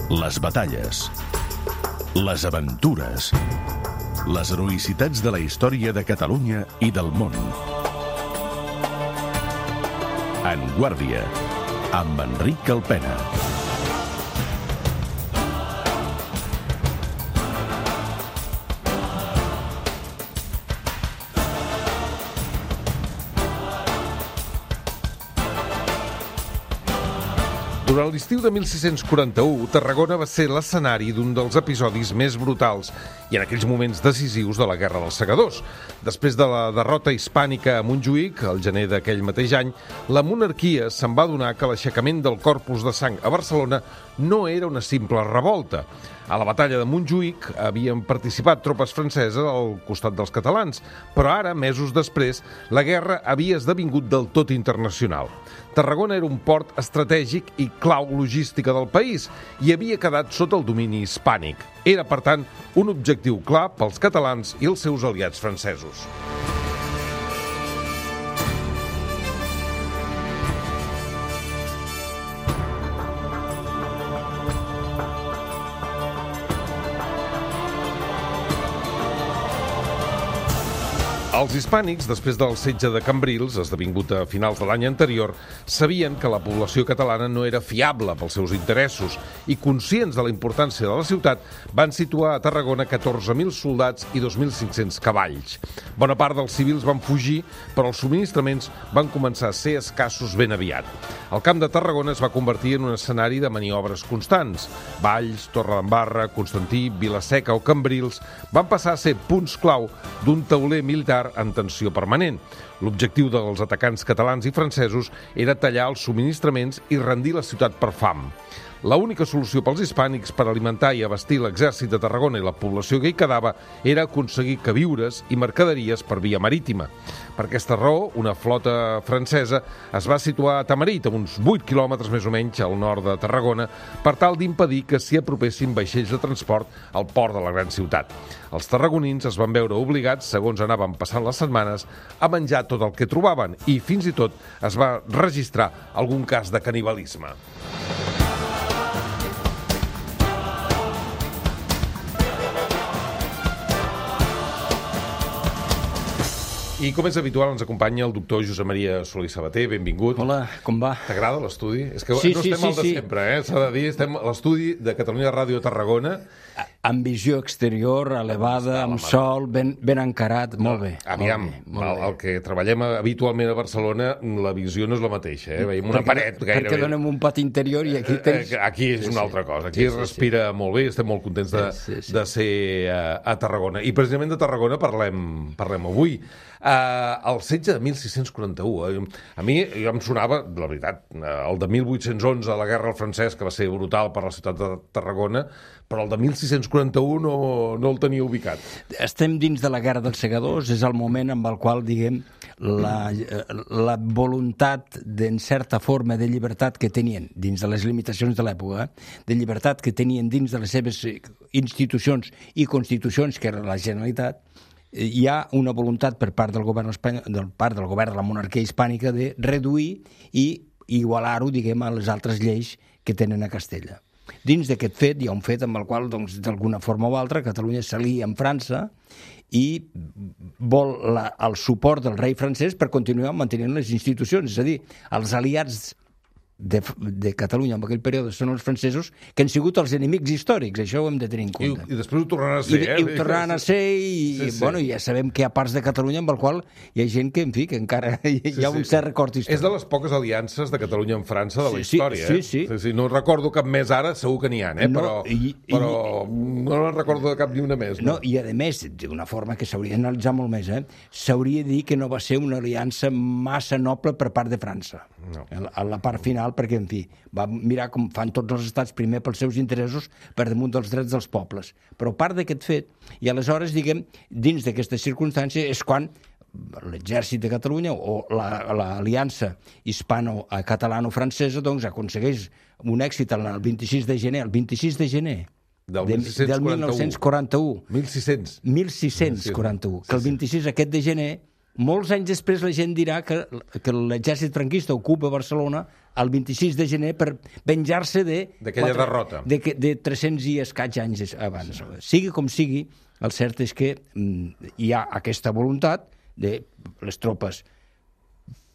Les batalles, les aventures, les heroïcitats de la història de Catalunya i del món. En Guàrdia, amb Enric Calpena. Durant l'estiu de 1641, Tarragona va ser l'escenari d'un dels episodis més brutals i en aquells moments decisius de la Guerra dels Segadors. Després de la derrota hispànica a Montjuïc, al gener d'aquell mateix any, la monarquia se'n va adonar que l'aixecament del Corpus de Sang a Barcelona no era una simple revolta. A la batalla de Montjuïc havien participat tropes franceses al costat dels catalans, però ara, mesos després, la guerra havia esdevingut del tot internacional. Tarragona era un port estratègic i clau logística del país i havia quedat sota el domini hispànic. Era, per tant, un objectiu clar pels catalans i els seus aliats francesos. Els hispànics, després del setge de Cambrils, esdevingut a finals de l'any anterior, sabien que la població catalana no era fiable pels seus interessos i, conscients de la importància de la ciutat, van situar a Tarragona 14.000 soldats i 2.500 cavalls. Bona part dels civils van fugir, però els subministraments van començar a ser escassos ben aviat. El camp de Tarragona es va convertir en un escenari de maniobres constants. Valls, Torredembarra, Constantí, Vilaseca o Cambrils van passar a ser punts clau d'un tauler militar en tensió permanent. L'objectiu dels atacants catalans i francesos era tallar els subministraments i rendir la ciutat per fam. L'única solució pels hispànics per alimentar i abastir l'exèrcit de Tarragona i la població que hi quedava era aconseguir queviures i mercaderies per via marítima. Per aquesta raó, una flota francesa es va situar a Tamarit, a uns 8 quilòmetres més o menys al nord de Tarragona, per tal d'impedir que s'hi apropessin vaixells de transport al port de la gran ciutat. Els tarragonins es van veure obligats, segons anaven passant les setmanes, a menjar tot el que trobaven i fins i tot es va registrar algun cas de canibalisme. I com és habitual ens acompanya el doctor Josep Maria Solé i Sabater, benvingut. Hola, com va? T'agrada l'estudi? És que Sí, no sí, estem al de sí. sempre, s'ha de dir, estem a l'estudi de Catalunya Ràdio Tarragona. Amb visió exterior, elevada, amb sol, ben encarat, molt bé. Aviam, molt bé. el que treballem habitualment a Barcelona, la visió no és la mateixa, Veiem una paret gairebé. Perquè donem un pati interior i aquí tens... Aquí és una altra cosa, aquí es respira molt bé, estem molt contents de ser a Tarragona. I precisament de Tarragona parlem avui. El setge de 1641, a mi jo em sonava, la veritat, el de 1811, la guerra al francès, que va ser brutal per la ciutat de Tarragona, però el de 1641 no el tenia ubicat. Estem dins de la guerra dels segadors, és el moment amb el qual, diguem, la voluntat, en certa forma, de llibertat que tenien, dins de les limitacions de l'època, de llibertat que tenien dins de les seves institucions i constitucions, que era la Generalitat, hi ha una voluntat per part del govern espanyol, del govern de la monarquia hispànica, de reduir i igualar-ho, diguem, a les altres lleis que tenen a Castella. Dins d'aquest fet hi ha un fet amb el qual, doncs, d'alguna forma o altra, Catalunya s'alia amb França i vol el suport del rei francès per continuar mantenint les institucions, és a dir, els aliats de Catalunya en aquell període són els francesos, que han sigut els enemics històrics, això ho hem de tenir en compte. I després ho tornaran a ser, I ho tornaran a ser i bueno, ja sabem que hi ha parts de Catalunya amb el qual hi ha gent que, en fi, que encara hi ha un cert record històric. És de les poques aliances de Catalunya amb França de la història, Sí. No recordo cap més ara, segur que n'hi ha, però no en recordo de cap ni una més. No, i a més, d'una forma que s'hauria d'analitzar molt més, s'hauria de dir que no va ser una aliança massa noble per part de França. A la part final, perquè, en fi, va mirar com fan tots els estats, primer pels seus interessos per damunt dels drets dels pobles. Però a part d'aquest fet, i aleshores, diguem, dins d'aquesta circumstància, és quan l'exèrcit de Catalunya o l'aliança hispano-catalano-francesa doncs aconsegueix un èxit el 26 de gener, del 1941. 1641. 1641. Que el 26 aquest de gener molts anys després la gent dirà que l'exèrcit franquista ocupa Barcelona el 26 de gener per venjar-se d'aquella derrota. De 300 i escaig anys abans. Sigui com sigui, el cert és que hi ha aquesta voluntat de les tropes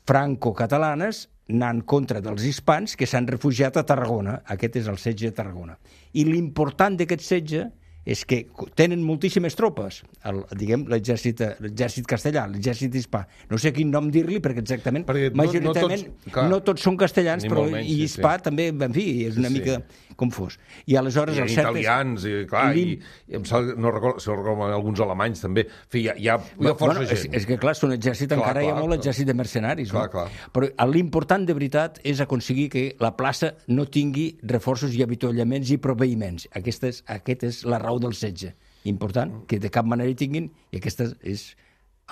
franco-catalanes anant contra dels hispans que s'han refugiat a Tarragona. Aquest és el setge de Tarragona. I l'important d'aquest setge és que tenen moltíssimes tropes, l'exèrcit castellà, l'exèrcit hispà. No sé quin nom dir-li, perquè exactament, majoritàriament, no tots són castellans, però i hispà també, en fi, és una mica com fos. I aleshores el cert és... italians, no recordo alguns alemanys també. En fi, hi ha força gent. És que, clar, són exèrcit, encara hi ha molt exèrcit de mercenaris. Però l'important de veritat és aconseguir que la plaça no tingui reforços i avituallaments i proveïments. Aquesta és la raó del setge. Important, que de cap manera hi tinguin, i aquests és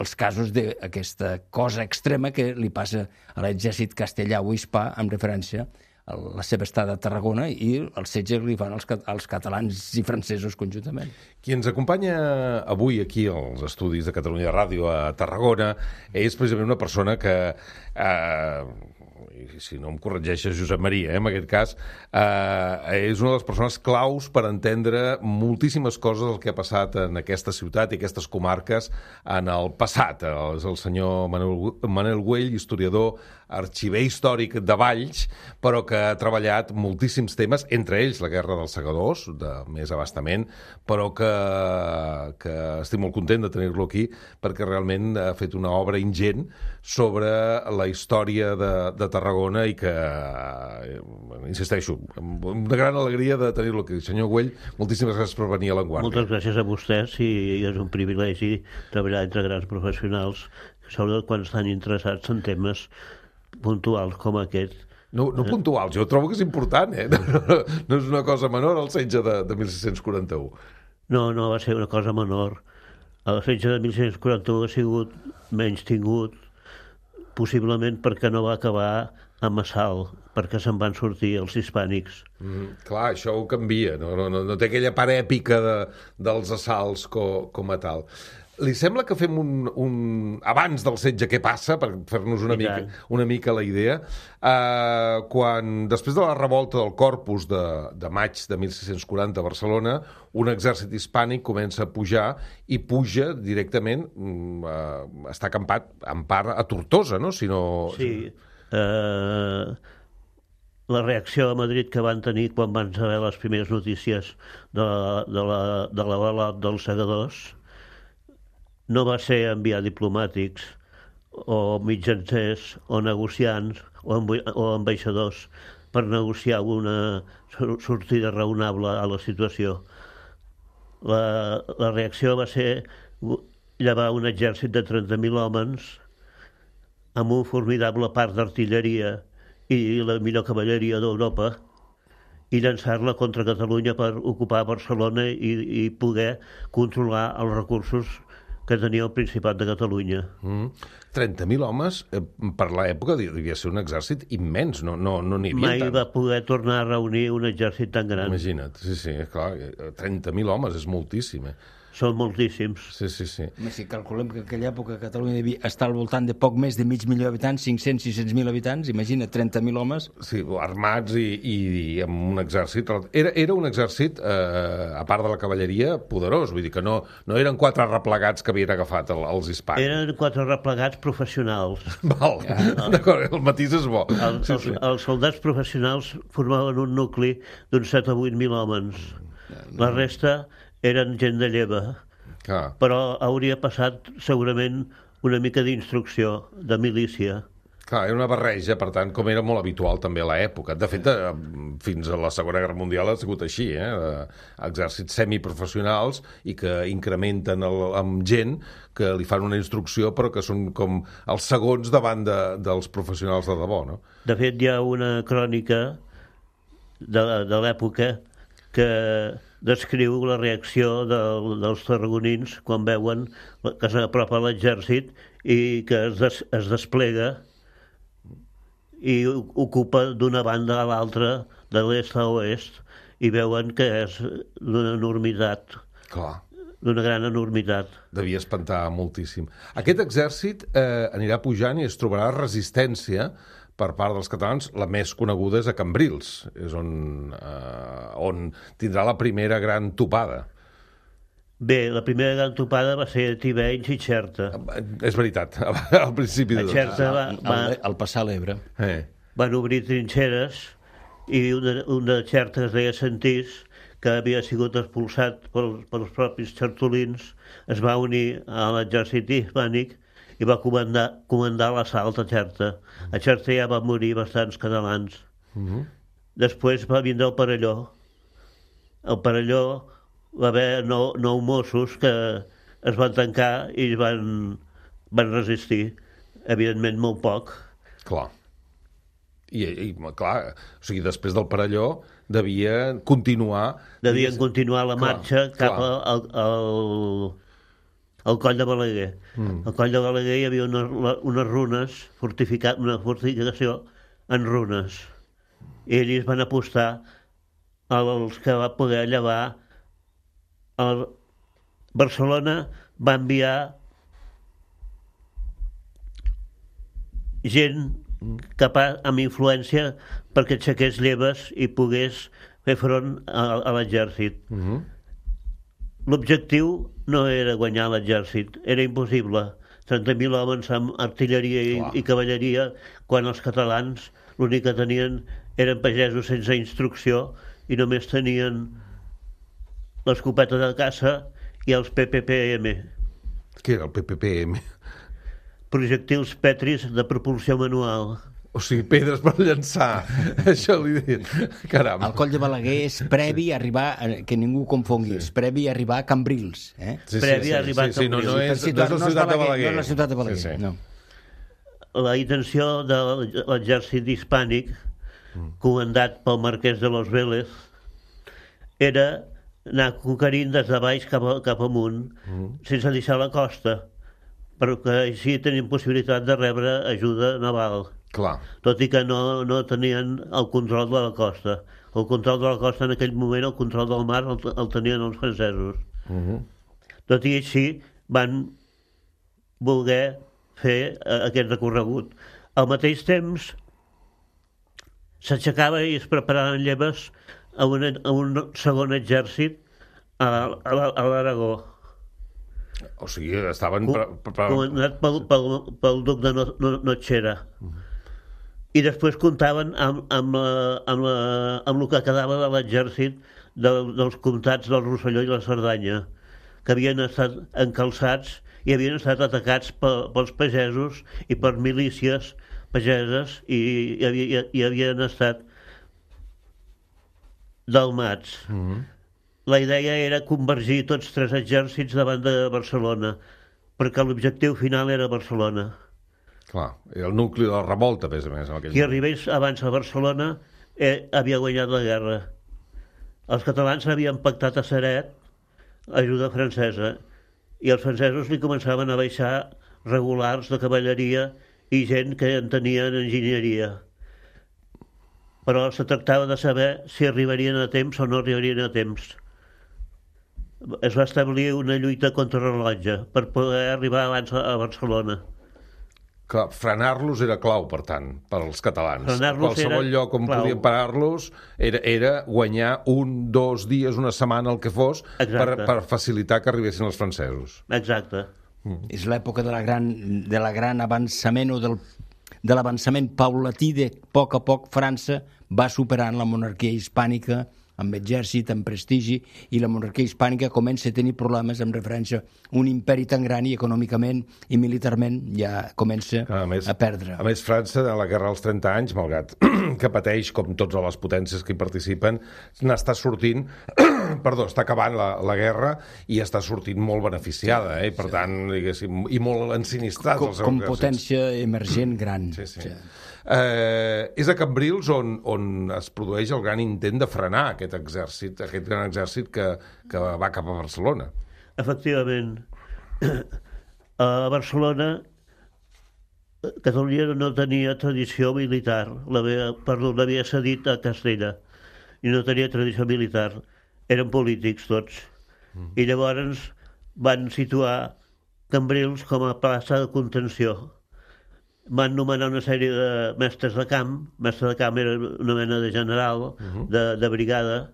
els casos d'aquesta cosa extrema que li passa a l'exèrcit castellà o hispà amb referència a la seva estada a Tarragona i el setge que li fan als catalans i francesos conjuntament. Qui ens acompanya avui aquí als estudis de Catalunya Ràdio a Tarragona és precisament una persona que... si no em corregeixes, Josep Maria, en aquest cas, és una de les persones claus per entendre moltíssimes coses del que ha passat en aquesta ciutat i aquestes comarques en el passat. És el senyor Manel Güell, historiador, arxiver històric de Valls, però que ha treballat moltíssims temes, entre ells la Guerra dels Segadors, de més abastament, però que estic molt content de tenir-lo aquí, perquè realment ha fet una obra ingent sobre la història de Tarragona i que, insisteixo, amb una gran alegria de tenir-lo aquí. Senyor Güell, moltíssimes gràcies per venir a l'Enguàrdia. Moltes gràcies a vostès i és un privilegi treballar entre grans professionals, sobretot quan estan interessats en temes puntuals com aquest. No puntuals, jo trobo que és important, no és una cosa menor el setge de 1641. No va ser una cosa menor. El setge de 1641 ha sigut menys tingut, possiblement perquè no va acabar amb assalt, perquè se'n van sortir els hispànics. Clar, això ho canvia, no té aquella part èpica dels assalts com a tal. Li sembla que fem abans del setge què passa, per fer-nos una mica la idea, quan després de la revolta del Corpus de maig de 1640 a Barcelona, un exèrcit hispànic comença a pujar i puja directament, està acampat en part a Tortosa, no? Sí. La reacció a Madrid que van tenir quan van saber les primeres notícies de l'avalot dels segadors no va ser enviar diplomàtics o mitjancers o negociants o ambaixadors per negociar una sortida raonable a la situació. La reacció va ser llevar un exèrcit de 30.000 homes amb un formidable parc d'artilleria i la millor cavalleria d'Europa i llançar-la contra Catalunya per ocupar Barcelona i poder controlar els recursos que tenia el Principat de Catalunya. 30.000 homes, per l'època, devia ser un exèrcit immens, no n'hi havia tant. Mai va poder tornar a reunir un exèrcit tan gran. Imagina't, sí, clar, 30.000 homes és moltíssim, Són moltíssims. Sí. Si calculem que en aquella època Catalunya devia estar al voltant de poc més de mig milió d'habitants, 500-600.000 habitants, imagina, 30.000 homes. Sí, armats i amb un exèrcit. Era un exèrcit, a part de la cavalleria, poderós. Vull dir que no eren 4 replegats que havien agafat els hispans. Eren 4 replegats professionals. Val, d'acord, el matís és bo. Els soldats professionals formaven un nucli d'uns 7 o 8.000 homes. La resta eren gent de lleva, però hauria passat segurament una mica d'instrucció, de milícia. Clar, era una barreja, per tant, com era molt habitual també a l'època. De fet, fins a la Segona Guerra Mundial ha sigut així, exèrcits semiprofessionals i que incrementen amb gent que li fan una instrucció però que són com els segons davant dels professionals de debò, no? De fet, hi ha una crònica de l'època que descriu la reacció dels tarragonins quan veuen que s'apropa l'exèrcit i que es desplega i ocupa d'una banda a l'altra, de l'est a oest, i veuen que és d'una enormitat. Clar. d'una gran enormitat. Devia espantar moltíssim. Aquest exèrcit anirà pujant i es trobarà resistència per part dels catalans. La més coneguda és a Cambrils, és on tindrà la primera gran topada. Bé, la primera gran topada va ser a Tivenys i Xerta. És veritat, al principi A Xerta Al passar l'Ebre. van obrir trinxeres i un de Xerta, que es deia Sentís, que havia sigut expulsat pels propis xertolins, es va unir a l'exèrcit hispànic i va comandar l'assalt a Xerta. A Xerta ja van morir bastants catalans. Després va vindre el Perelló. El Perelló va haver 9 Mossos que es van tancar i van resistir. Evidentment, molt poc. Clar. I clar, o sigui, després del Perelló devien continuar la marxa cap al Coll de Balaguer. Al Coll de Balaguer hi havia unes runes, una fortificació en runes. I ells van apostar als que va poder llevar. Barcelona va enviar gent amb influència perquè aixequés lleves i pogués fer front a l'exèrcit. L'objectiu no era guanyar l'exèrcit, era impossible. 30.000 homes amb artilleria i cavalleria, quan els catalans l'únic que tenien eren pagesos sense instrucció i només tenien l'escopeta de caça i els PPPM. Què era el PPPM? Projectils petris de propulsió manual. O sigui, pedres per llançar. Això li dic. Caram. El Coll de Balaguer és previ a arribar, que ningú confongui, és previ a arribar a Cambrils. Previ a arribar a Cambrils. No és la ciutat de Balaguer. No és la ciutat de Balaguer, no. La intenció de l'exèrcit hispànic, comandat pel marquès de Los Vélez, era anar conquerint des de baix cap amunt, sense deixar la costa, perquè així tenien possibilitat de rebre ajuda naval. Clar. Tot i que no tenien el control de la costa. El control de la costa en aquell moment, el control del mar, el tenien els francesos. Tot i així van voler fer aquest recorregut. Al mateix temps s'aixecava i es preparaven lleves a un segon exèrcit a l'Aragó. O sigui, estaven... Comandat pel duc de Notxera. I després comptaven amb el que quedava de l'exèrcit dels comtats del Rosselló i la Cerdanya, que havien estat encalçats i havien estat atacats pels pagesos i per milícies pageses i havien estat delmats. La idea era convergir tots 3 exèrcits davant de Barcelona, perquè l'objectiu final era Barcelona. Clar, el nucli de la revolta, més a més. Qui arribés abans a Barcelona havia guanyat la guerra. Els catalans havien pactat a Ceret ajuda francesa i els francesos li començaven a baixar regulars de cavalleria i gent que en tenien enginyeria. Però se tractava de saber si arribarien a temps o no arribarien a temps. Es va establir una lluita contra rellotge per poder arribar abans a Barcelona. Clar, frenar-los era clau, per tant, per als catalans. Qualsevol lloc on podien parar-los era guanyar 1, 2 dies, una setmana, el que fos, per facilitar que arribessin els francesos. Exacte. És l'època de la gran avançament o de l'avançament paulatí de poc a poc França va superant la monarquia hispànica amb exèrcit, amb prestigi, i la monarquia hispànica comença a tenir problemes amb referència a un imperi tan gran i econòmicament i militarment ja comença a perdre. A més, França, a la Guerra dels 30 anys, malgrat que pateix, com totes les potències que hi participen, n'està sortint, està acabant la guerra i està sortint molt beneficiada, per tant, diguéssim, i molt ensinistrats. Com potència emergent gran. Sí. És a Cambrils on es produeix el gran intent de frenar aquest gran exèrcit que va cap a Barcelona. Efectivament. A Barcelona, Catalunya no tenia tradició militar, l'havia cedit a Castella, i no tenia tradició militar. Eren polítics tots. I llavors van situar Cambrils com a plaça de contenció. Van nomenar una sèrie de mestres de camp. Mestre de camp era una mena de general, de brigada,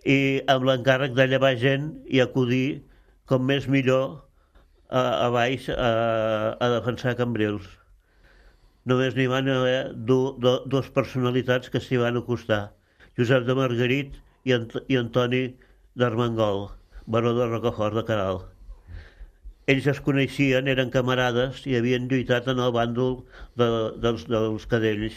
i amb l'encàrrec de llevar gent i acudir com més millor a baix a defensar Cambrils. Només n'hi van haver dues personalitats que s'hi van acostar, Josep de Margarit i Antoni d'Armengol, baró de Rocafort de Queralt. Ells es coneixien, eren camarades i havien lluitat en el bàndol dels cadells.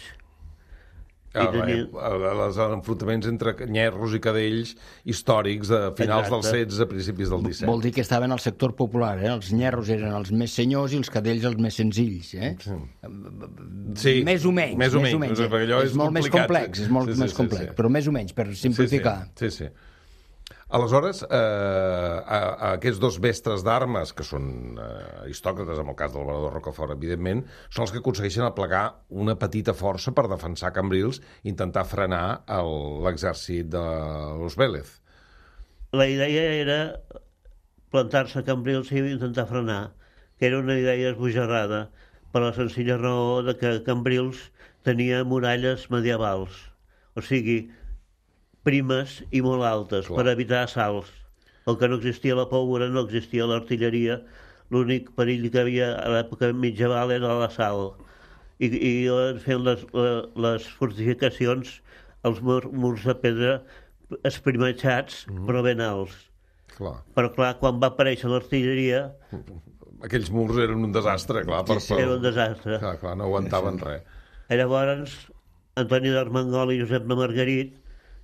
Els enfrontaments entre nyerros i cadells històrics de finals del 16 a principis del 17. Vol dir que estaven al sector popular, Els nyerros eren els més senyors i els cadells els més senzills, Sí. Més o menys. Perquè allò és molt més complex, però més o menys, per simplificar. Sí. Aleshores, aquests dos mestres d'armes, que són aristòcrates, en el cas del baró de Rocafort, evidentment, són els que aconsegueixen aplegar una petita força per defensar Cambrils i intentar frenar l'exèrcit de los Vélez. La idea era plantar-se a Cambrils i intentar frenar, que era una idea esbojarrada, per la senzilla raó de que Cambrils tenia muralles medievals, o sigui, primes i molt altes, per evitar assalts. El que no existia la pólvora, no existia l'artilleria, l'únic perill que havia a l'època mitjaval era l'assalt. I fent les fortificacions, els murs de pedra esprimatxats, però ben alts. Però clar, quan va aparèixer l'artilleria... Aquells murs eren un desastre, clar. Era un desastre. Clar, no aguantaven res. Llavors, Antoni d'Armengol i Josep de Margarit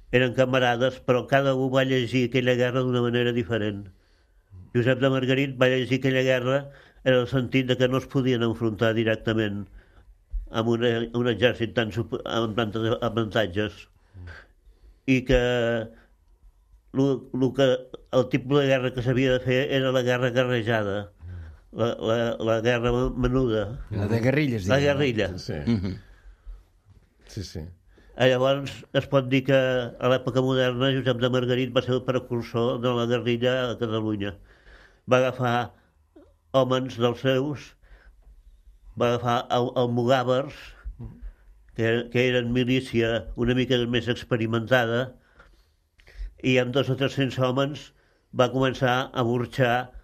eren camarades, però cada un va llegir aquella guerra d'una manera diferent. Josep de Margarit va llegir aquella guerra en el sentit de que no es podien enfrontar directament amb un exèrcit amb tantes avantatges. I que el tipus de guerra que s'havia de fer era la guerra guerrejada, la guerra menuda. La de guerrilles. La guerrilla. Sí. Llavors es pot dir que a l'època moderna Josep de Margarit va ser el precursor de la guerrilla a Catalunya. Va agafar homes dels seus, va agafar almogàvers, que eren milícia una mica més experimentada, i amb 200 o 300 homes va començar a burxar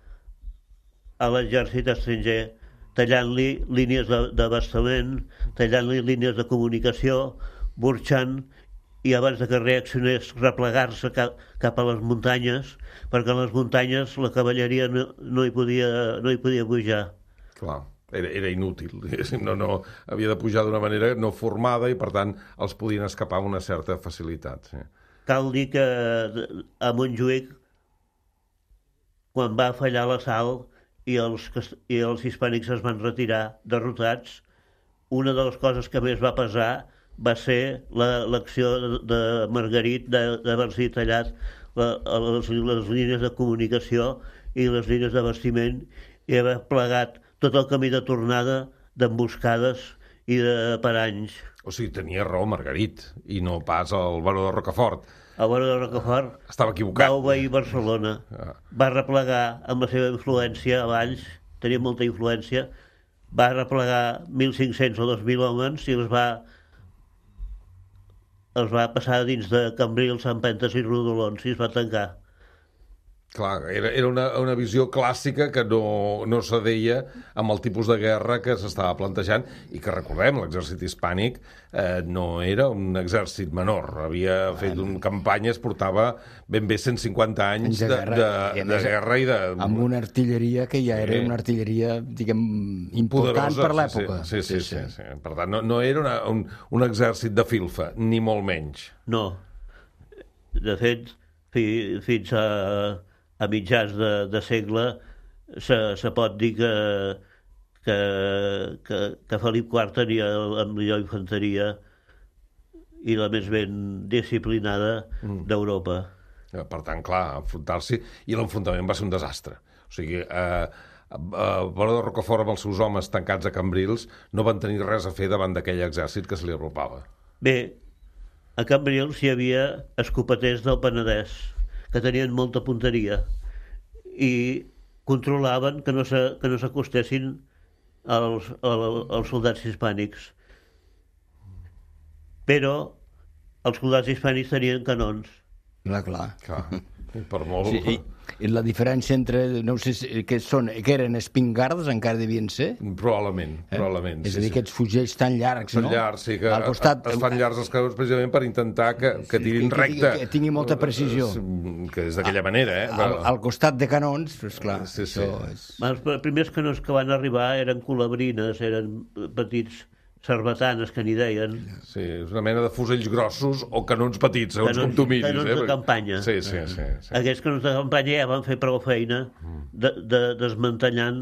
a l'exèrcit estranger, tallant-li línies d'abastament, tallant-li línies de comunicació, burxant, i abans de que reaccionés replegar-se cap a les muntanyes, perquè a les muntanyes la cavalleria no hi podia pujar. Clar, era inútil. No, havia de pujar d'una manera no formada i, per tant, els podien escapar amb una certa facilitat. Sí. Cal dir que a Montjuïc, quan va fallar l'assalt i els hispànics es van retirar derrotats, una de les coses que més va pesar va ser l'acció de Margarit d'haver-s'hi tallat les línies de comunicació i les línies d'abastiment i haver plegat tot el camí de tornada d'emboscades i de paranys. O sigui, tenia raó Margarit i no pas el baró de Rocafort. El baró de Rocafort estava equivocat. Va obeir Barcelona, va replegar amb la seva influència a Valls, tenia molta influència, va replegar 1.500 o 2.000 homes i els va passar dins de Cambrils, empentes i rodolons i es va tancar. Clar, era una visió clàssica que no s'adeia amb el tipus de guerra que s'estava plantejant i que, recordem, l'exèrcit hispànic no era un exèrcit menor. Havia fet campanyes, portava ben bé 150 anys de guerra i de... Amb una artilleria que ja era una artilleria, diguem, important poderosa, per l'època. Sí. Per tant, no era un exèrcit de filfa, ni molt menys. No. De fet, fins a mitjans de segle se pot dir que Felip IV tenia la millor infanteria i la més ben disciplinada d'Europa. Per tant, clar, enfrontar-s'hi, i l'enfrontament va ser un desastre. O sigui, Baró de Rocafort amb els seus homes tancats a Cambrils no van tenir res a fer davant d'aquell exèrcit que se li apropava. Bé, a Cambrils hi havia escopeters del Penedès que tenien molta punteria i controlaven que no s'acostessin als soldats hispànics. Però els soldats hispànics tenien canons. Clar. Per molt... Sí, i la diferència entre, no sé què són, que eren espingardes, encara devien ser? Probablement. És a dir, aquests fusells tan llargs, no? Són llargs, sí, que es fan llargs els canons precisament per intentar que tirin recte. Que tingui molta precisió. Que és d'aquella manera, Al costat de canons, esclar. Sí. Els primers canons que van arribar eren colabrines, eren petits sarbatanes, que n'hi deien. Sí, és una mena de fusells grossos o canons petits, segons com tu miris. Canons de campanya. Sí. Aquests canons de campanya ja van fer prou feina desmantellant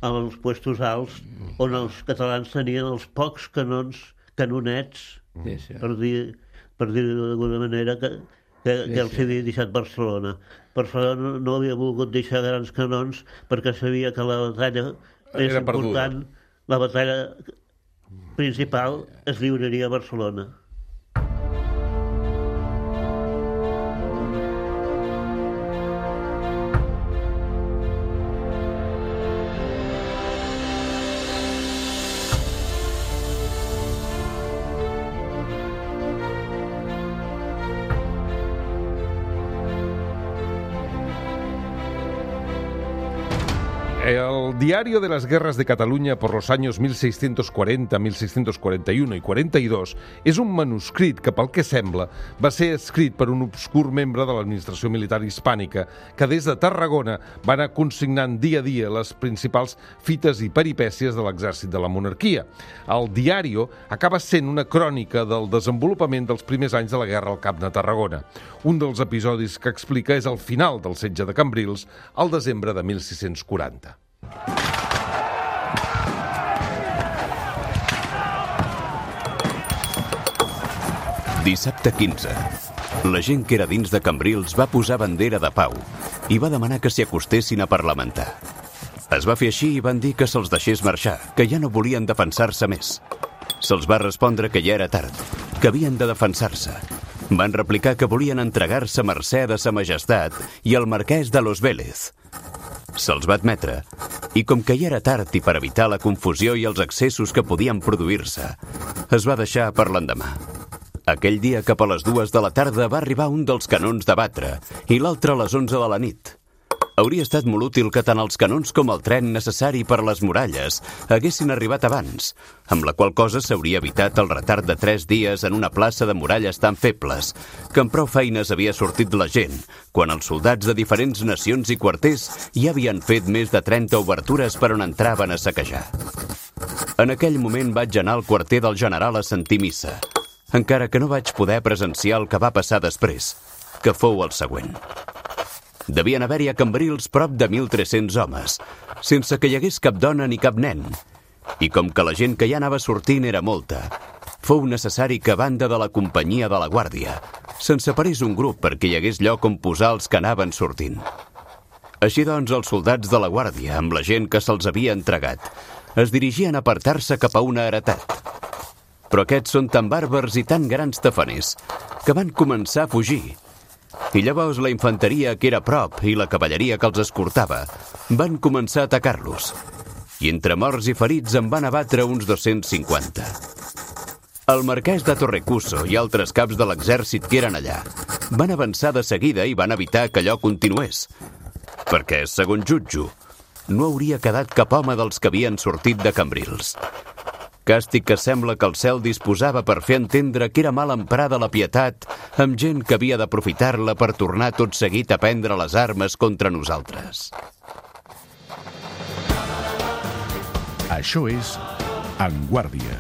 els puestos alts on els catalans tenien els pocs canonets, per dir-ho d'alguna manera, que els havia deixat Barcelona. Barcelona no havia volgut deixar grans canons perquè sabia que la batalla més important, la batalla principal, es lliuraria a Barcelona. El Diario de las Guerras de Cataluña por los años 1640, 1641 i 42 és un manuscrit que, pel que sembla, va ser escrit per un obscur membre de l'administració militar hispànica que des de Tarragona va anar consignant dia a dia les principals fites i peripècies de l'exèrcit de la monarquia. El Diario acaba sent una crònica del desenvolupament dels primers anys de la guerra al Camp de Tarragona. Un dels episodis que explica és el final del setge de Cambrils al desembre de 1640. Dissabte 15. La gent que era dins de Cambrils va posar bandera de pau i va demanar que s'hi acostessin a parlamentar. Es va fer així i van dir que se'ls deixés marxar, que ja no volien defensar-se més. Se'ls va respondre que ja era tard, que havien de defensar-se. Van replicar que volien entregar-se a mercè de sa majestat i al marquès de Los Vélez. Se'ls va admetre, i com que ja era tard i per evitar la confusió i els excessos que podien produir-se, es va deixar per l'endemà. Aquell dia, cap a les 2 de la tarda, va arribar un dels canons de batre i l'altre a les 11 de la nit. Hauria estat molt útil que tant els canons com el tren necessari per a les muralles haguessin arribat abans, amb la qual cosa s'hauria evitat el retard de 3 dies en una plaça de muralles tan febles que amb prou feines havia sortit la gent, quan els soldats de diferents nacions i quarters ja havien fet més de 30 obertures per on entraven a saquejar. En aquell moment vaig anar al quarter del general a sentir missa, encara que no vaig poder presenciar el que va passar després, que fou el següent. Devien haver-hi a Cambrils prop de 1.300 homes, sense que hi hagués cap dona ni cap nen. I com que la gent que ja anava sortint era molta, fou necessari que a banda de la companyia de la guàrdia se'n separés un grup perquè hi hagués lloc on posar els que anaven sortint. Així doncs, els soldats de la guàrdia, amb la gent que se'ls havia entregat, es dirigien a apartar-se cap a una heretat. Però aquests són tan bàrbars i tan grans tafaners que van començar a fugir. I llavors la infanteria que era a prop i la cavalleria que els escortava van començar a atacar-los. I entre morts i ferits en van abatre uns 250. El marquès de Torrecuso i altres caps de l'exèrcit que eren allà van avançar de seguida i van evitar que allò continués. Perquè, segons jutjo, no hauria quedat cap home dels que havien sortit de Cambrils. Càstig que sembla que el cel disposava per fer entendre que era mal emprada la pietat amb gent que havia d'aprofitar-la per tornar tot seguit a prendre les armes contra nosaltres. Això és En Guàrdia.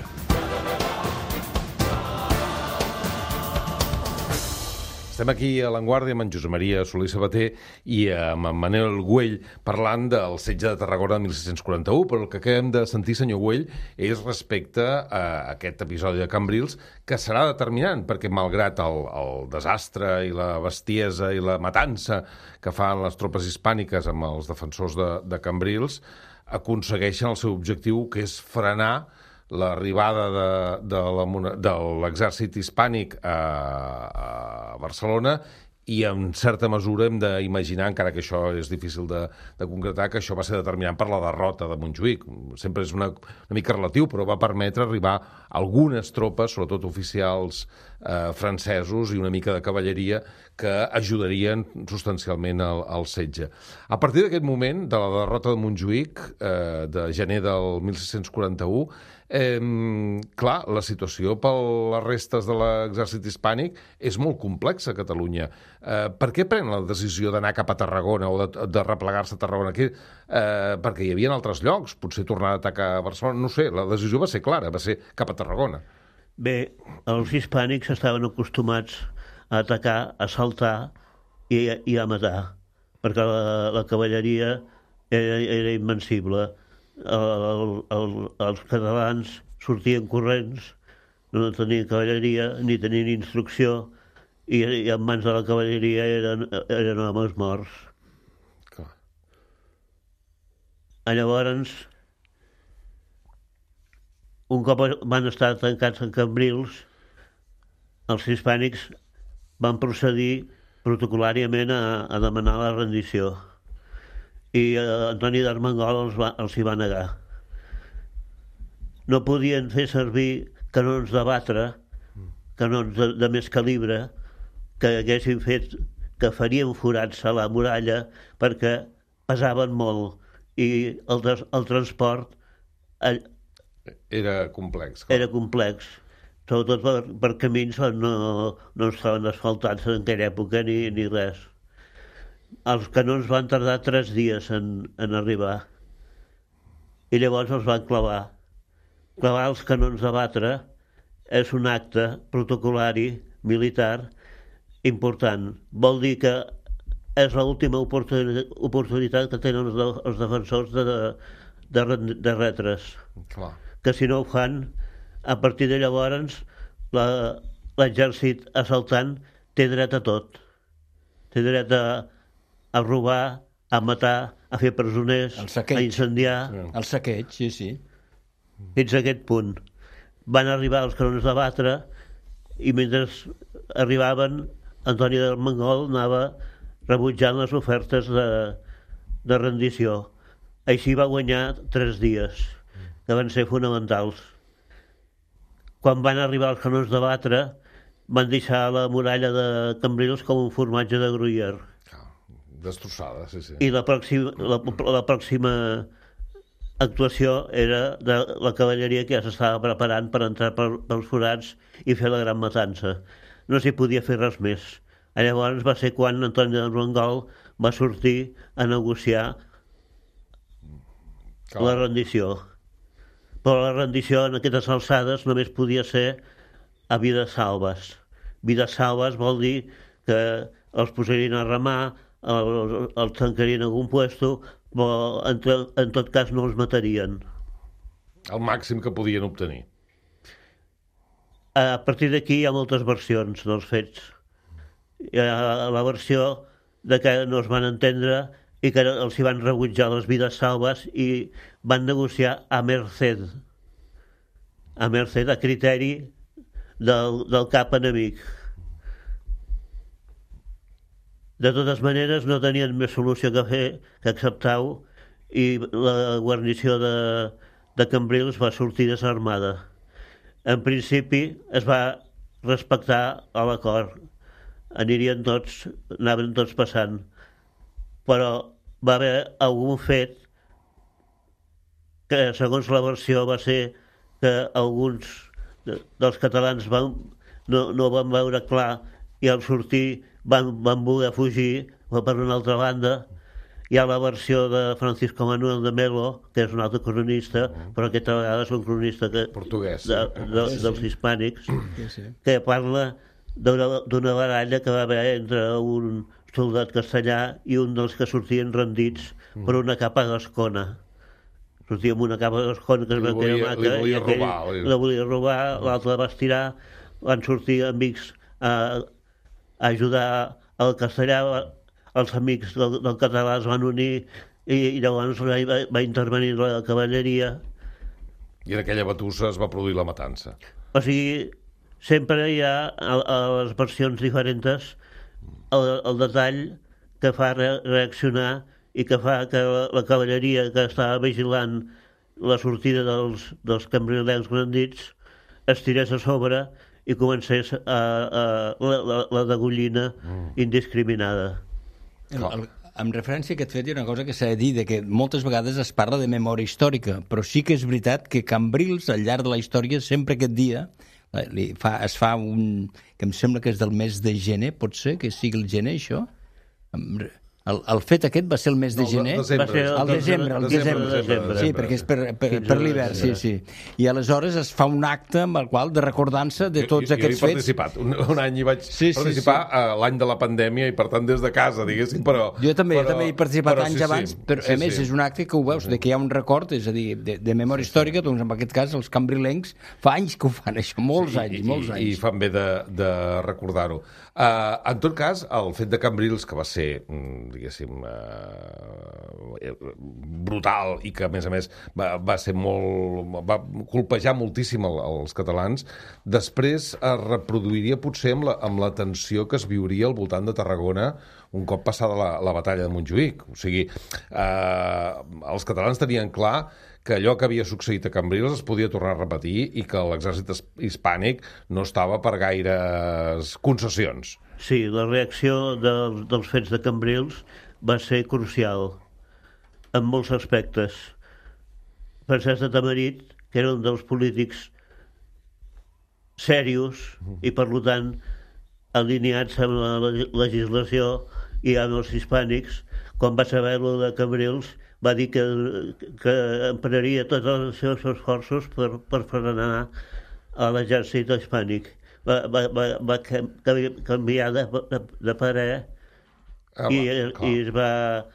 Estem aquí a l'Avantguàrdia amb en Josep Maria Soler Sabater i amb en Manel Güell parlant del setge de Tarragona de 1641, però el que acabem de sentir, senyor Güell, és respecte a aquest episodi de Cambrils, que serà determinant, perquè malgrat el desastre i la bestiesa i la matança que fan les tropes hispàniques amb els defensors de Cambrils, aconsegueixen el seu objectiu, que és frenar l'arribada de l'exèrcit hispànic a Barcelona I en certa mesura hem d'imaginar, encara que això és difícil de concretar, que això va ser determinant per la derrota de Montjuïc. Sempre és una mica relatiu, però va permetre arribar algunes tropes, sobretot oficials francesos i una mica de cavalleria, que ajudarien substancialment al setge. A partir d'aquest moment, de la derrota de Montjuïc, de gener del 1641, clar, la situació per les restes de l'exèrcit hispànic és molt complexa a Catalunya. Per què pren la decisió d'anar cap a Tarragona o de replegar-se a Tarragona? Perquè hi havia altres llocs, potser tornar a atacar a Barcelona, no sé, la decisió va ser clara, va ser cap a Tarragona. Bé, els hispànics estaven acostumats a atacar, a assaltar i a matar, perquè la cavalleria era invencible. Els catalans sortien corrents, no tenien cavalleria ni tenien instrucció, i en mans de la cavalleria eren homes morts. Clar. Llavors, un cop van estar tancats en Cambrils, els hispànics van procedir protocolàriament a demanar la rendició. I Antoni d'Armengol els hi va negar. No podien fer servir canons de batre, canons de més calibre, que haguessin fet, que farien forats a la muralla, perquè pesaven molt i el transport era complex. Clar. Era complex, sobretot per camins on no estaven asfaltats en aquella època ni res. Els canons van tardar 3 dies en arribar i llavors els van clavar. Clavar els canons de batre és un acte protocolari militar important. Vol dir que és l'última oportunitat que tenen els defensors de retre's. Clar. Que si no ho fan, a partir de llavors l'exèrcit assaltant té dret a tot. Té dret a robar, a matar, a fer presoners, a incendiar. El saqueig, sí. Fins a aquest punt. Van arribar els canons de batre i mentre arribaven, Antoni d'Armengol anava rebutjant les ofertes de rendició. Així va guanyar 3 dies, que van ser fonamentals. Quan van arribar els canons de batre, van deixar la muralla de Cambrils com un formatge de Gruyère. Destrossada, sí. I la pròxima actuació era de la cavalleria que ja s'estava preparant per entrar pels forats i fer la gran matança. No s'hi podia fer res més. Llavors va ser quan Antoni d'Armengol va sortir a negociar la rendició. Però la rendició en aquestes alçades només podia ser a vides salves. Vides salves vol dir que els posarien a remar, els tancarien en algun puesto, però en tot cas no els matarien. El màxim que podien obtenir. A partir d'aquí hi ha moltes versions dels fets. Hi ha la versió de que no es van entendre i que els hi van rebutjar les vides salves i van negociar a merced, a criteri del cap enemic. De totes maneres, no tenien més solució que fer que acceptar-ho i la guarnició de Cambrils va sortir desarmada. En principi es va respectar l'acord. Anaven tots passant. Però va haver algun fet que, segons la versió, va ser que alguns dels catalans no van veure clar i al sortir van voler fugir per una altra banda. Hi ha la versió de Francisco Manuel de Melo, que és un altre cronista, però aquesta vegada és un cronista portuguès dels hispànics, que parla d'una baralla que va haver entre un soldat castellà i un dels que sortien rendits per una capa gascona. Sortia amb una capa gascona que es va quedar maca i aquell la volia robar, l'altre la va estirar, van sortir amics a ajudar el castellà, els amics del català es van unir i llavors va intervenir la cavalleria. I en aquella batussa es va produir la matança. O sigui, sempre hi ha a les versions diferents el detall que fa reaccionar i que fa que la cavalleria que estava vigilant la sortida dels cambrilencs brandits es tirés a sobre i comencés la degollina indiscriminada. En referència a aquest fet hi ha una cosa que s'ha de dir, que moltes vegades es parla de memòria històrica, però sí que és veritat que Cambrils, al llarg de la història, sempre aquest dia es fa un... que em sembla que és del mes de gener, pot ser que sigui el gener, això? El fet aquest va ser el mes de gener? El desembre. Sí, perquè és per l'hivern, sí. I aleshores es fa un acte amb el qual de recordança de tots aquests fets. Jo hi he participat. Un any hi vaig participar l'any de la pandèmia i per tant des de casa, diguéssim, però... Jo també he participat anys abans, però a més és un acte que ho veus, que hi ha un record, és a dir, de memòria històrica, doncs en aquest cas els cambrilencs fa anys que ho fan, això, molts anys. I fan bé de recordar-ho. En tot cas, el fet de Cambrils, que va ser, diguéssim, brutal i que, a més, va ser va colpejar moltíssim els catalans, després es reproduiria potser amb la tensió que es viuria al voltant de Tarragona un cop passada la batalla de Montjuïc. O sigui, els catalans tenien clar que allò que havia succeït a Cambrils es podia tornar a repetir i que l'exèrcit hispànic no estava per gaires concessions. Sí, la reacció dels fets de Cambrils va ser crucial en molts aspectes. Francesc de Tamarit, que era un dels polítics serios i, per tant, alineats amb la legislació i amb els hispànics, quan va saber-lo de Cambrils, va dir que emprenaria tots els seus esforços per frenar a l'exèrcit hispànic. Va canviar de parer i es va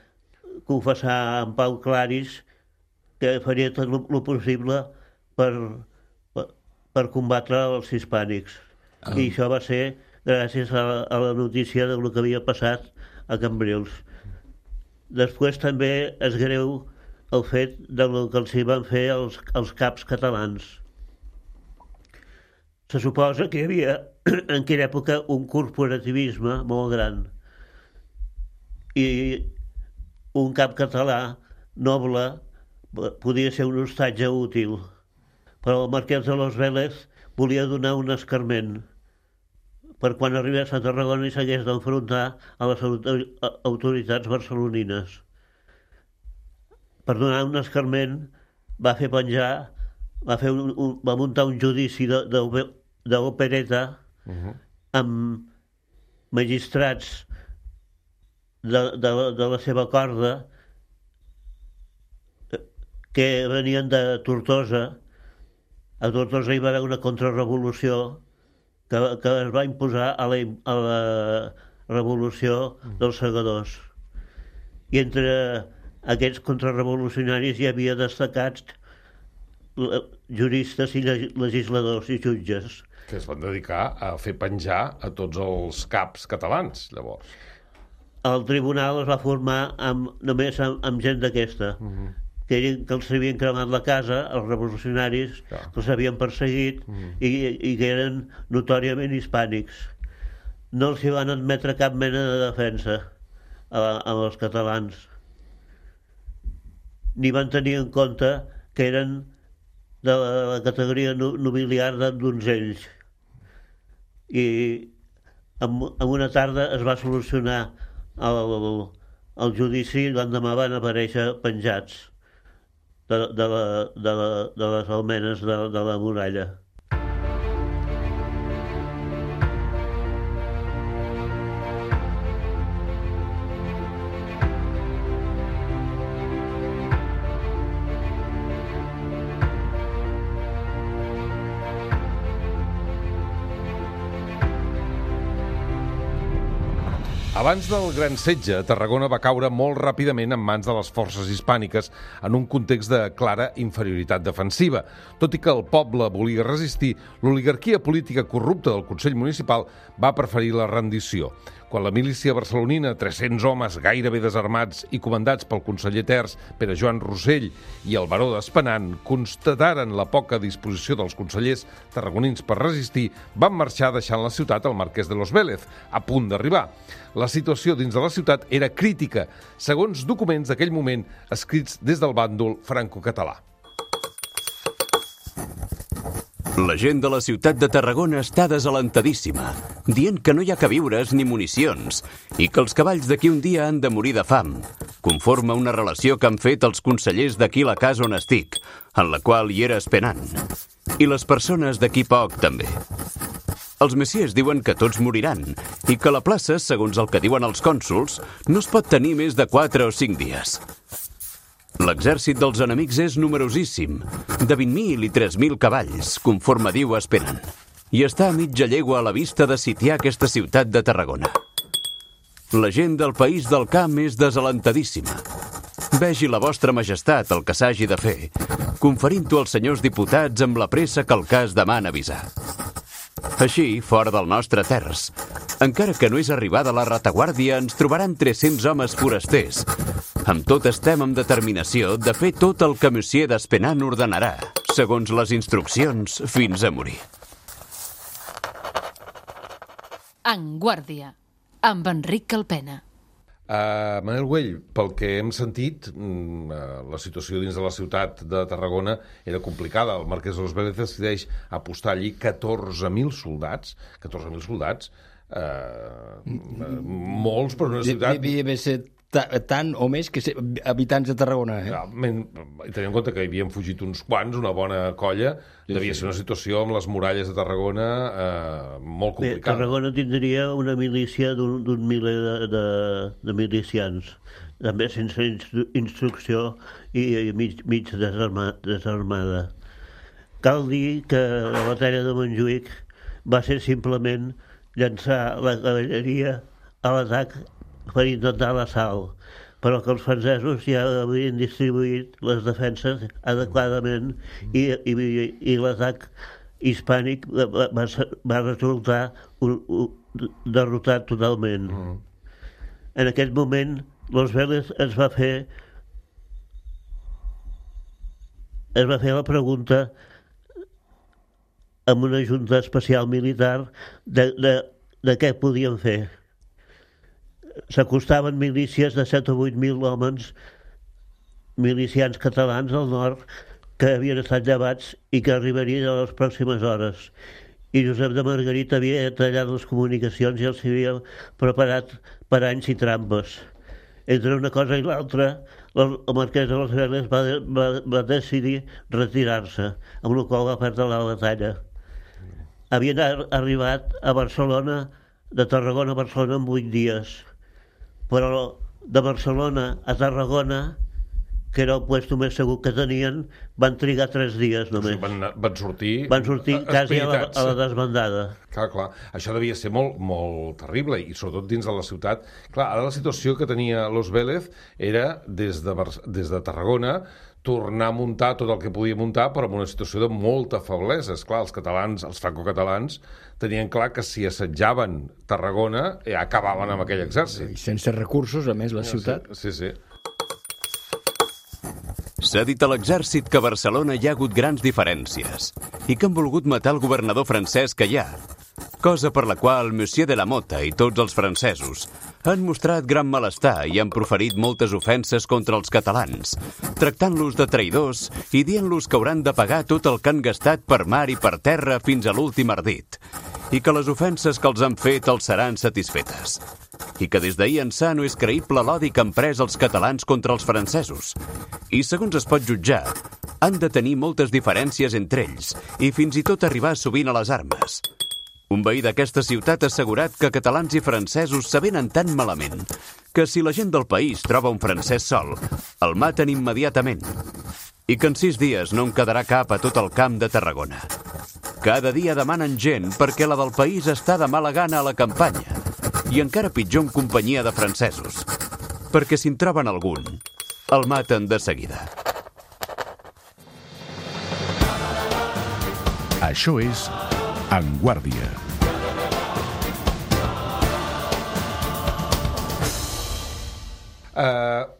confessar en Pau Claris que faria tot el possible per combatre els hispànics. I això va ser gràcies a la notícia del que havia passat a Cambrils. Després també és greu el fet del que els hi van fer els caps catalans. Se suposa que hi havia en aquella època un corporativisme molt gran i un cap català noble podia ser un hostatge útil, però el marquès de los Vélez volia donar un escarment per quan arribés a Tarragona i s'hagués d'enfrontar a les autoritats barcelonines. Per donar un escarment va fer penjar, va muntar un judici d'opereta amb magistrats de la seva corda que venien de Tortosa. A Tortosa hi va haver una contrarrevolució que es va imposar a la revolució dels segadors. I entre aquests contrarrevolucionaris hi havia destacats juristes i legisladors i jutges. Que es van dedicar a fer penjar a tots els caps catalans, llavors. El tribunal es va formar només amb gent d'aquesta, que els havien cremat la casa, els revolucionaris, que els havien perseguit i que eren notòriament hispànics. No els hi van admetre cap mena de defensa als catalans, ni van tenir en compte que eren de la categoria nobiliar de donzells. I en una tarda es va solucionar el judici i l'endemà van aparèixer penjats de les almenes de la muralla. Abans del Gran Setge, Tarragona va caure molt ràpidament en mans de les forces hispàniques en un context de clara inferioritat defensiva. Tot i que el poble volia resistir, l'oligarquia política corrupta del Consell Municipal va preferir la rendició. Quan la milícia barcelonina, 300 homes gairebé desarmats i comandats pel conseller Terç, Pere Joan Rossell i el baró d'Espenant, constataren la poca disposició dels consellers tarragonins per resistir, van marxar deixant la ciutat al marquès de Los Vélez, a punt d'arribar. La situació dins de la ciutat era crítica, segons documents d'aquell moment escrits des del bàndol franco-català. La gent de la ciutat de Tarragona està desalentadíssima, dient que no hi ha queviures ni municions i que els cavalls d'aquí un dia han de morir de fam, conforme una relació que han fet els consellers d'aquí la casa on estic, en la qual hi era Espenant, i les persones d'aquí poc també. Els messies diuen que tots moriran i que la plaça, segons el que diuen els cònsols, no es pot tenir més de 4 o 5 dies. L'exèrcit dels enemics és numerosíssim, de 20.000 i 3.000 cavalls, conforme diu Espenant, i està a mitja llegua a la vista de sitiar aquesta ciutat de Tarragona. La gent del país del camp és desalentadíssima. Vegi la vostra majestat el que s'hagi de fer, conferint-ho als senyors diputats amb la pressa que el cas demana avisar. Així, fora del nostre Terç, encara que no és arribada la retaguardia, ens trobaran 300 homes forasters. Amb tot estem amb determinació de fer tot el que monsieur d'Espenant ordenarà, segons les instruccions, fins a morir. En Guàrdia, amb Enric Calpena. Manel Güell, pel que hem sentit, la situació dins de la ciutat de Tarragona era complicada. El marquès de Los Vélez decideix apostar allí 14.000 soldats. 14.000 soldats, molts per una ciutat... Devia ser tant o més que habitants de Tarragona. I tenint en compte que hi havien fugit uns quants, una bona colla, devia ser una situació amb les muralles de Tarragona molt complicada. Tarragona tindria una milícia d'un miler de milicians, també sense instrucció i mig desarmada. Cal dir que la batalla de Montjuïc va ser simplement llançar la cavalleria a l'atac per intentar l'assalt, però que els francesos ja havien distribuït les defenses adequadament i l'atac hispànic va resultar derrotat totalment. En aquest moment, Los Vélez es va fer la pregunta amb una junta especial militar de què podien fer. S'acostaven milícies de 7 o 8.000 homes, milicians catalans al nord, que havien estat llevats i que arribarien a les pròximes hores. I Josep de Margarit havia tallat les comunicacions i els havia preparat paranys i trampes. Entre una cosa i l'altra, el marquès de Los Vélez va decidir retirar-se, amb la qual va perdre la batalla. Havien arribat a Barcelona, de Tarragona a Barcelona en 8 dies. Però de Barcelona a Tarragona, que era el puesto més segur que tenien, van trigar 3 dies només. Van sortir quasi a la desbandada. Clar. Això devia ser molt terrible, i sobretot dins de la ciutat. Clar, ara la situació que tenia Los Vélez era, des de Tarragona, tornar a muntar tot el que podia muntar, però en una situació de molta feblesa. Esclar, els catalans, els francocatalans, tenien clar que si assetjaven Tarragona, acabaven amb aquell exèrcit. I sense recursos, a més, la ciutat. Sí. S'ha dit a l'exèrcit que a Barcelona hi ha hagut grans diferències i que han volgut matar el governador francès que hi ha, cosa per la qual monsieur de la Mota i tots els francesos han mostrat gran malestar i han proferit moltes ofenses contra els catalans, tractant-los de traïdors i dient-los que hauran de pagar tot el que han gastat per mar i per terra fins a l'últim ardit, i que les ofenses que els han fet els seran satisfetes, i que des d'ahir ençà no és creïble l'odi que han pres els catalans contra els francesos, i segons es pot jutjar, han de tenir moltes diferències entre ells i fins i tot arribar sovint a les armes. Un veí d'aquesta ciutat ha assegurat que catalans i francesos s'avenen tan malament que si la gent del país troba un francès sol, el maten immediatament, i que en 6 dies no en quedarà cap a tot el camp de Tarragona. Cada dia demanen gent perquè la del país està de mala gana a la campanya, I encara pitjor en companyia de francesos, perquè si en troben algun, el maten de seguida. Això és En Guàrdia.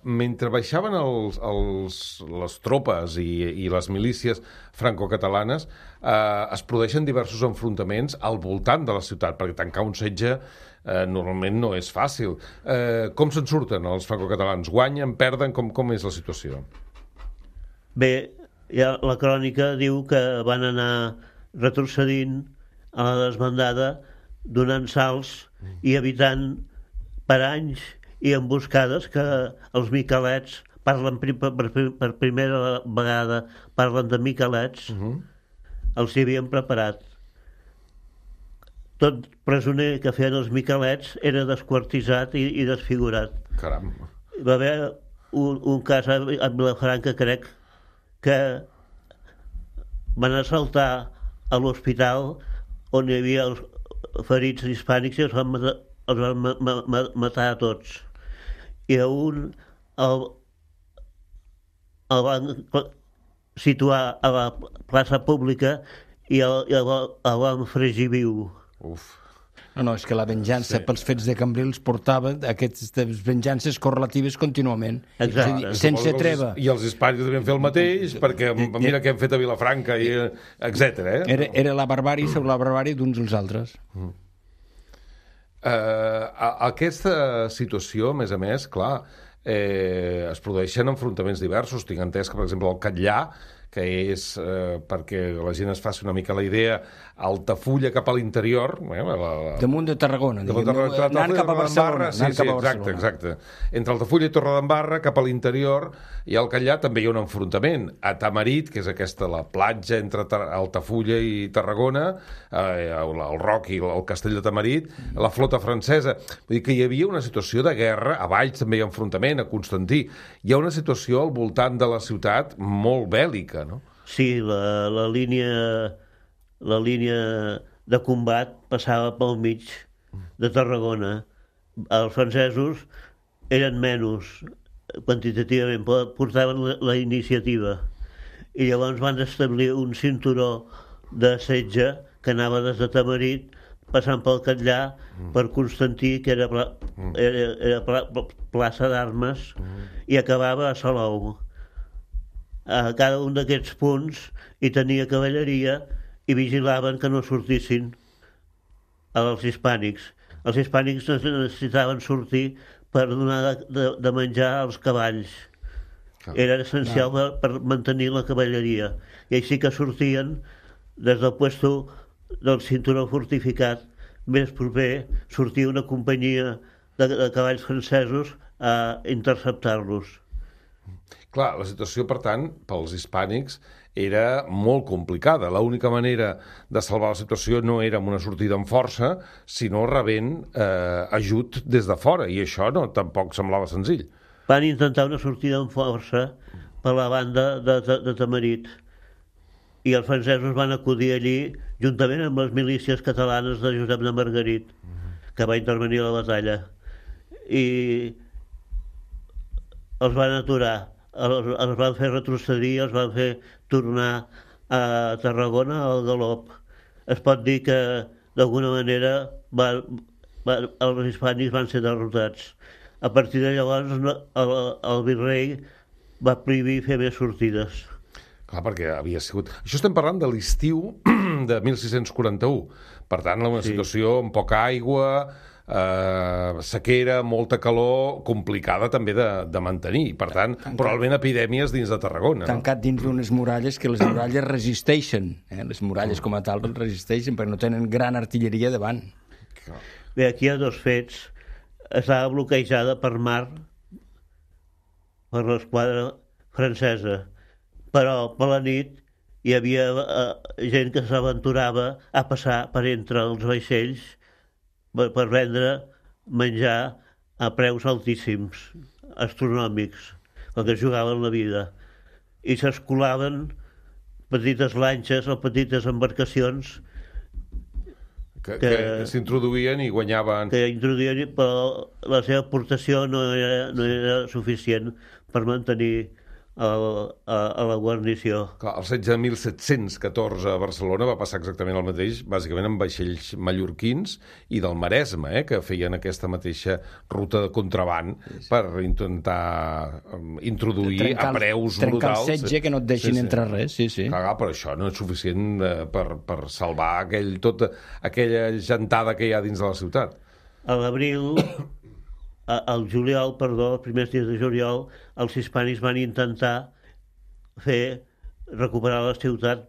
Mentre baixaven les tropes i les milícies franco-catalanes, es produeixen diversos enfrontaments al voltant de la ciutat, perquè tancar un setge normalment no és fàcil. Com se'n surten els franco-catalans? Guanyen, perden? Com és la situació? Bé, ja la crònica diu que van anar retrocedint a la desbandada, donant salts i evitant per anys i emboscades que els miquelets parlen per primera vegada, parlen de miquelets, els hi havien preparat. Tot presoner que feien els miquelets era desquartitzat i desfigurat. Caram. Hi va haver un cas a Vilafranca, crec, que van assaltar a l'hospital on hi havia els ferits hispànics i els van matar a tots. I a un el van situar a la plaça pública i el van fregir viu. Uf. No, és que la venjança pels fets de Cambrils portava aquestes venjances correlatives contínuament. Exacte. Sense treva. I els hispànics devien fer el mateix, perquè mira què hem fet a Vilafranca, etc. Era la barbàrie sobre la barbàrie d'uns als altres. Aquesta situació, a més, clar, es produeixen enfrontaments diversos. Tinc entès que, per exemple, el Catllà, que és, perquè la gent es faci una mica la idea, Altafulla cap a l'interior... Damunt de Tarragona, anant cap a Barcelona. Exacte. Entre Altafulla i Torredembarra, cap a l'interior, i al Catllà també hi ha un enfrontament. A Tamarit, que és la platja entre Altafulla i Tarragona, el Roc i el castell de Tamarit, la flota francesa. Vull dir que hi havia una situació de guerra, a Valls també hi ha enfrontament, a Constantí. Hi ha una situació al voltant de la ciutat molt bèl·lica, no? Sí, la línia de combat passava pel mig de Tarragona. Els francesos eren menys quantitativament, portaven la iniciativa. I llavors van establir un cinturó de setge que anava des de Tamarit, passant pel Catllà, per Constantí, que era plaça d'armes, i acabava a Salou. A cada un d'aquests punts hi tenia cavalleria i vigilaven que no sortissin els hispànics. Els hispànics necessitaven sortir per donar de menjar als cavalls. Era essencial per mantenir la cavalleria. I així que sortien des del puesto del cinturó fortificat més proper, sortia una companyia de cavalls francesos a interceptar-los. Clar, la situació, per tant, pels hispànics era molt complicada. L'única manera de salvar la situació no era amb una sortida amb força, sinó rebent ajut des de fora, i això tampoc semblava senzill. Van intentar una sortida amb força per la banda de Tamarit, i els francesos van acudir allí juntament amb les milícies catalanes de Josep de Margarit, que va intervenir a la batalla, i els van aturar, els van fer retrocedir, els van fer tornar a Tarragona al galop. Es pot dir que d'alguna manera els hispànics van ser derrotats. A partir de llavors el virrei va prohibir fer més sortides. Clar, perquè havia sigut... Això estem parlant de l'estiu de 1641. Per tant, una situació amb poca aigua, sequera, molta calor, complicada també de mantenir. Per tant, probablement epidèmies dins de Tarragona. Tancat dins d'unes muralles que les muralles resisteixen. Les muralles com a tal resisteixen perquè no tenen gran artilleria davant. Bé, aquí hi ha dos fets. Estava bloquejada per mar per l'esquadra francesa, però per la nit hi havia gent que s'aventurava a passar per entre els vaixells per vendre menjar a preus altíssims, astronòmics, com que jugaven la vida. I s'escolaven petites lanxes o petites embarcacions que s'introduïen i guanyaven... Que introduïen, però la seva aportació no era suficient per mantenir a la guarnició. Clar, el setge de 1714 a Barcelona va passar exactament el mateix, bàsicament amb vaixells mallorquins i del Maresme, que feien aquesta mateixa ruta de contraban per intentar introduir a preus brutals. Trencar el setge, que no et deixin entrar res, sí. Clar, però això no és suficient per salvar aquella gentada que hi ha dins de la ciutat. A l'abril... Al juliol, els primers dies de juliol, els hispànics van intentar recuperar la ciutat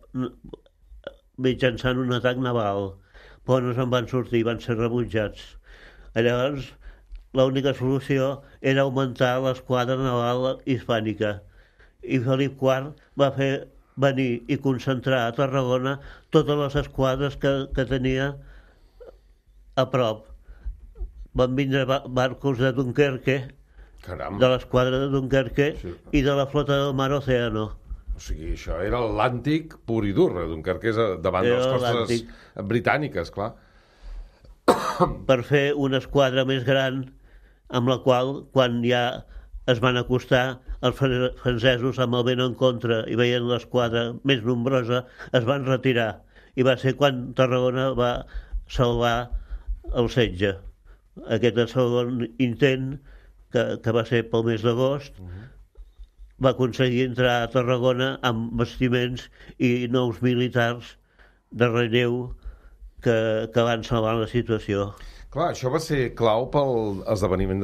mitjançant un atac naval, però no se'n van sortir, van ser rebutjats. Llavors, l'única solució era augmentar l'esquadra naval hispànica, i Felip IV va fer venir i concentrar a Tarragona totes les esquadres que tenia a prop. Van vindre barcos de Dunkerque, de l'esquadra de Dunkerque i de la flota del Mar Océano. O sigui, això era l'Atlàntic pur i dur. Dunkerque és davant de les costes britàniques, clar. Per fer una esquadra més gran, amb la qual, quan ja es van acostar, els francesos, amb el vent en contra i veient l'esquadra més nombrosa, es van retirar. I va ser quan Tarragona va salvar el setge. Aquest segon intent, que va ser pel mes d'agost, va aconseguir entrar a Tarragona amb bastiments i nous militars de relleu que van salvar la situació. Clar, això va ser clau pel esdeveniment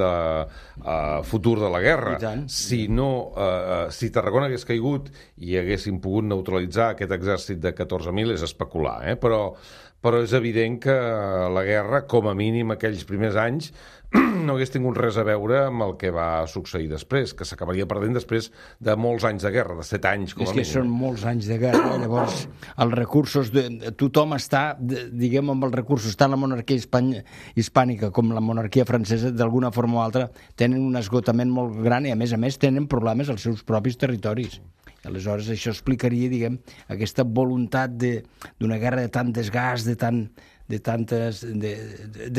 futur de la guerra. Si Tarragona hagués caigut i haguessin pogut neutralitzar aquest exèrcit de 14.000, és especular, però és evident que la guerra, com a mínim aquells primers anys, no hagués tingut res a veure amb el que va succeir després, que s'acabaria perdent després de molts anys de guerra, de 7 anys com a mínim. És que són molts anys de guerra, llavors els recursos, tothom està, diguem, amb els recursos, tant la monarquia hispànica com la monarquia francesa, d'alguna forma o altra, tenen un esgotament molt gran i a més tenen problemes als seus propis territoris. Aleshores, això explicaria, diguem, aquesta voluntat d'una guerra de tant desgast, de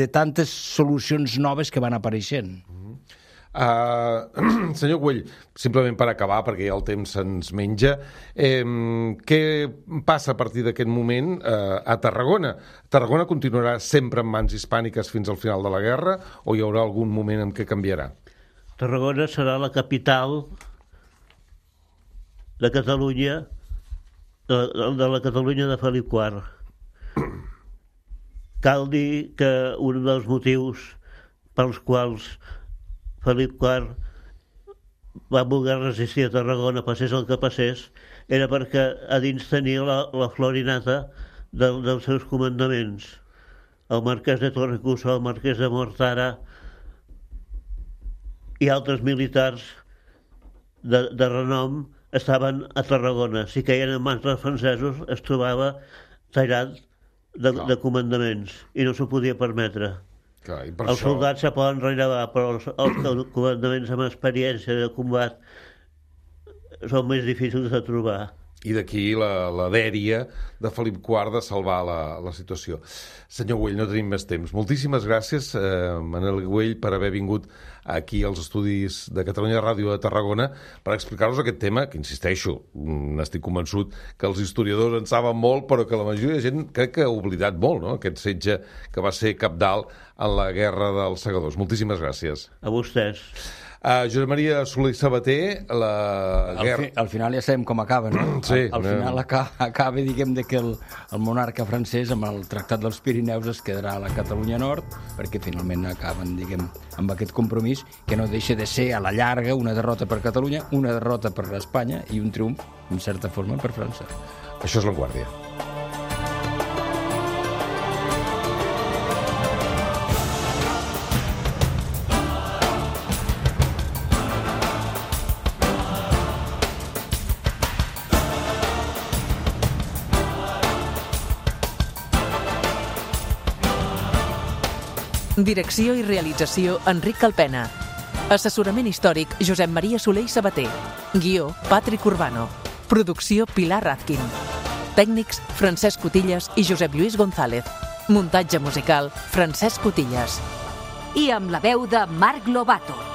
tantes solucions noves que van apareixent. Senyor Güell, simplement per acabar, perquè ja el temps se'ns menja, què passa a partir d'aquest moment a Tarragona? Tarragona continuarà sempre en mans hispàniques fins al final de la guerra o hi haurà algun moment en què canviarà? Tarragona serà la capital de Catalunya, de la Catalunya de Felip IV. Cal dir que un dels motius pels quals Felip IV va voler resistir a Tarragona, passés el que passés, era perquè a dins tenia la florinata dels seus comandaments. El marquès de Torrecusa, el marquès de Mortara i altres militars de renom estaven a Tarragona. Si queien en mans dels francesos, es trobava tallat de comandaments i no s'ho podia permetre. Els soldats se poden relevar, però els comandaments amb experiència de combat són més difícils de trobar. I d'aquí la dèria de Felip IV de salvar la situació. Senyor Güell, no tenim més temps. Moltíssimes gràcies, Manel Güell, per haver vingut aquí als estudis de Catalunya Ràdio de Tarragona per explicar-nos aquest tema, que insisteixo, n'estic convençut que els historiadors en saben molt, però que la majoria de gent crec que ha oblidat molt, no?, aquest setge que va ser cabdal en la Guerra dels Segadors. Moltíssimes gràcies. A vostès. Josep Maria Soler i Sabater, la guerra... Al final ja sabem com acaba, no? Sí. Al final acaba, diguem, que el monarca francès amb el Tractat dels Pirineus es quedarà a la Catalunya Nord, perquè finalment acaben, diguem, amb aquest compromís que no deixa de ser a la llarga una derrota per Catalunya, una derrota per Espanya i un triomf, en certa forma, per França. Això és La Guàrdia. Direcció i realització, Enric Calpena. Assessorament històric, Josep Maria Soler i Sabater. Guió, Patrick Urbano. Producció, Pilar Razkin. Tècnics, Francesc Cotillas i Josep Lluís González. Muntatge musical, Francesc Cotillas. I amb la veu de Marc Lobato.